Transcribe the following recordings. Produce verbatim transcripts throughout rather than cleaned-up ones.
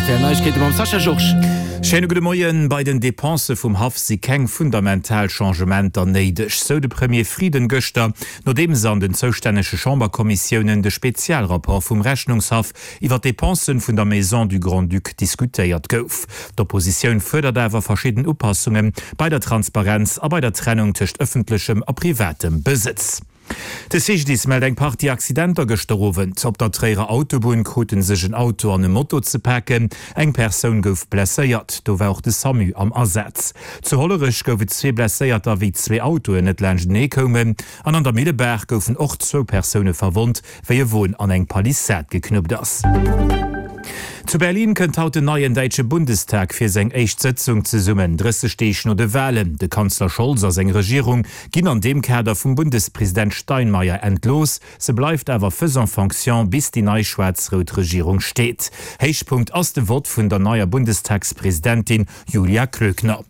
Aktuell Neiegkeete mam Sascha Georges. Schéine gudde Moien. Bei den Depensë vum Haff si keng fundamental Changementer néideg, sou de Premier Frieden gëschter, nodeems an den zoustännege Chamberkommissiounen de Spezialrapport vum Rechnungshaff iwwer d'Depensen vun der Maison du Grand-Duc diskutéiert gouf. D'Oppositioun fuerdert awer verschidden Upassunge bei der Transparenz a bei der Trennung tëscht ëffentlechem a privatem Besëtz. De C G D I S mellt eng Partie Accidenter gëschter Owend. Op der Tréierer Autobunn krute sech en Auto an e Moto ze paken. Eng Persoun gouf blesséiert. Do war och de SAMU am Asaz. Zu Hollerech gouf et zwee Blesséierter, wéi zwee Autoen net laanschtenee koumen. An an der Millebaach goufen och zwou Persoune verwonnt, wéi e Won an eng Palissad geknuppt ass. Zu Berlin kënnt haut den neien däitsche Bundestag fir seng éischt Sëtzung zesummen, drësseg Deeg no de Walen. De Kanzler Scholz a seng Regierung ginn an deem Kader vum Bundespresident Steinmeier entlooss. Se bleift awer faisant fonction, bis déi nei schwaarz-rout Regierung steet. Héichpunkt ass de Vott vun der neier Bundestagspresidentin Julia Klöckner.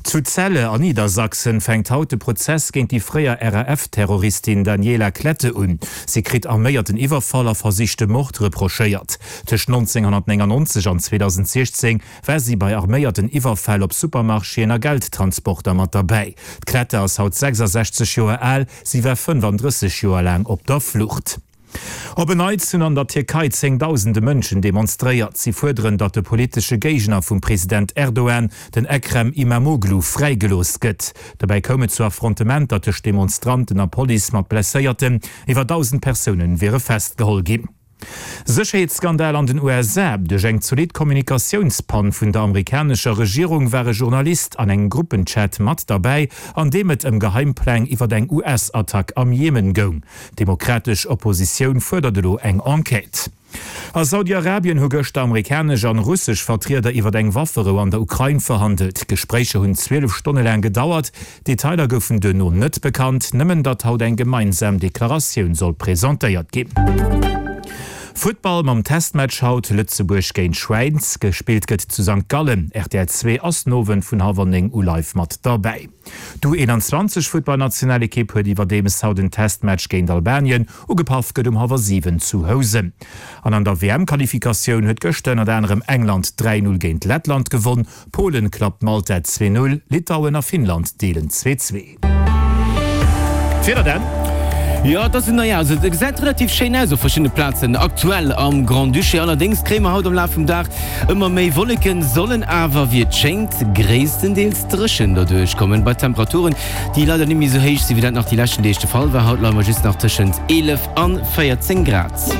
Zu Celle an Niedersachsen fänkt haut de Prozess géint déi fréier R A F-Terroristin Daniela Klette un. Si kritt arméierten Iwwerfall a versichte Mord reprochéiert. Tëscht nonzénghonnertnéngannonzeg an zweedausendsechzéng war si bei arméierten Iwwerfäll op Supermarchéen a Geldtransporter mat derbäi. D'Klette ass haut sechsasechzeg Joer al, si war fënnefandrësseg Joer laang op der Flucht. Op en Neits hunn an der Tierkei zéngdausende Mënschen demonstréiert. Si fuerderen, datt de politesche Géigner vum President Erdogan, den Ekrem Imamoglu, fräigelooss gëtt. Dobäi koum et zu Affrontementer tëscht Demonstranten a Police mat Blesséierten. Iwwer dausend Persoune wiere festgeholl ginn. Sécherheetsskandal an den U S A. Duerch eng zolidd Kommunikatiounspann vun der amerikanescher Regierung war e Journalist an engem Gruppenchat mat derbäi, an deem et ëm Geheimpläng iwwer eng U S-Attack am Jemen goung. D'demokratesch Oppositioun fuerdert elo eng Enquête. A Saudi-Arabien hu gëschter amerikanesch an russesch Vertrieder iwwer eng Wafferou an der Ukrain verhandelt. D'Gespréicher hunn zwielef Stonne laang gedauert. Detailer goufen duerno net bekannt, nëmmen datt haut eng gemeinsam Deklaratioun soll presentéiert ginn. Futtball mam Testmatch haut, Lëtzebuerg géint Schwäiz. Gespillt gëtt zu Sankt Gallen. R T L zwee ass den Owend vun hallwer néng u live mat derbäi. D'U eenanzwanzeg Futtballnationalekipp huet iwwerdeems haut en Testmatch géint Albanien. Ugepaff gëtt um hallwer siwen zu Housen. An an der W M-Qualifikatioun huet gëschter ënnert anerem England dräi null géint Lettland gewonn. Polen klappt Malta zwee null, Litauen a Finnland deelen zwee zwee. D'Wieder dann. Jo, et ass, naja, also et gesäit relativ schéin aus op verschiddene Plazen aktuell am Grand-Duché. Allerdéngs kréie mer haut am Laf vum Dag ëmmer méi Wolleken, sollen awer, wéi et schéngt, gréisstendeels dréchen derduerch kommen, bei Temperaturen, déi leider net méi esou héich sinn, wéi dat nach déi leschten Deeg de Fall war. Haut leie mer just nach tëschent eelef an véierzéng Grad.